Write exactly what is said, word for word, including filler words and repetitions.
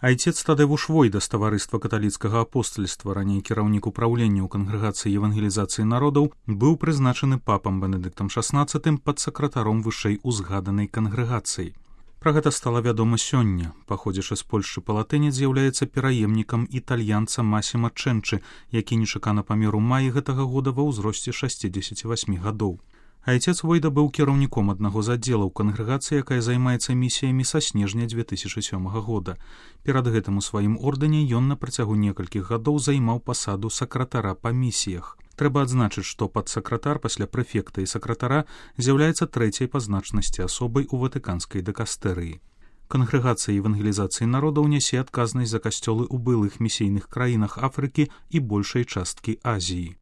Айцец Тадеуш Войда з таварыства каталіцкага апостальства, раней кіраўнік упраўлення ў кангрэгацыі евангелізацыі народаў, быў прызначаны папам Бенедыктам шаснаццатым падсакратаром вышэй узгаданай кангрэгацыі. Пра гэта стала вядома сёння. Паходзячы з Польшчы палатынец з'яўляецца пераемнікам італьянца Масіма Чэнчы, які нечакана памер у маі гэтага года ва ўзросце шасцідзесяці васьмі гадоў. Айцец Войда быў кіраўніком аднаго з аддзелаў кангрэгацыі, якая займаецца місіямі са снежня дзве тысячы сёмага года. Перад гэтым у сваім ордэне ён на працягу некалькіх гадоў займаў пасаду сакратара па місіях. Трэба адзначыць, што падсакратар пасля прэфекта і сакратара з'яўляецца трэцяй па значнасці асобай у ватыканскай дыкастэрыі. Кангрэгацыя евангелізацыі народаў нясе адказнасць за касцёлы ў былых місійных краінах Афрыкі і большай часткі Азіі.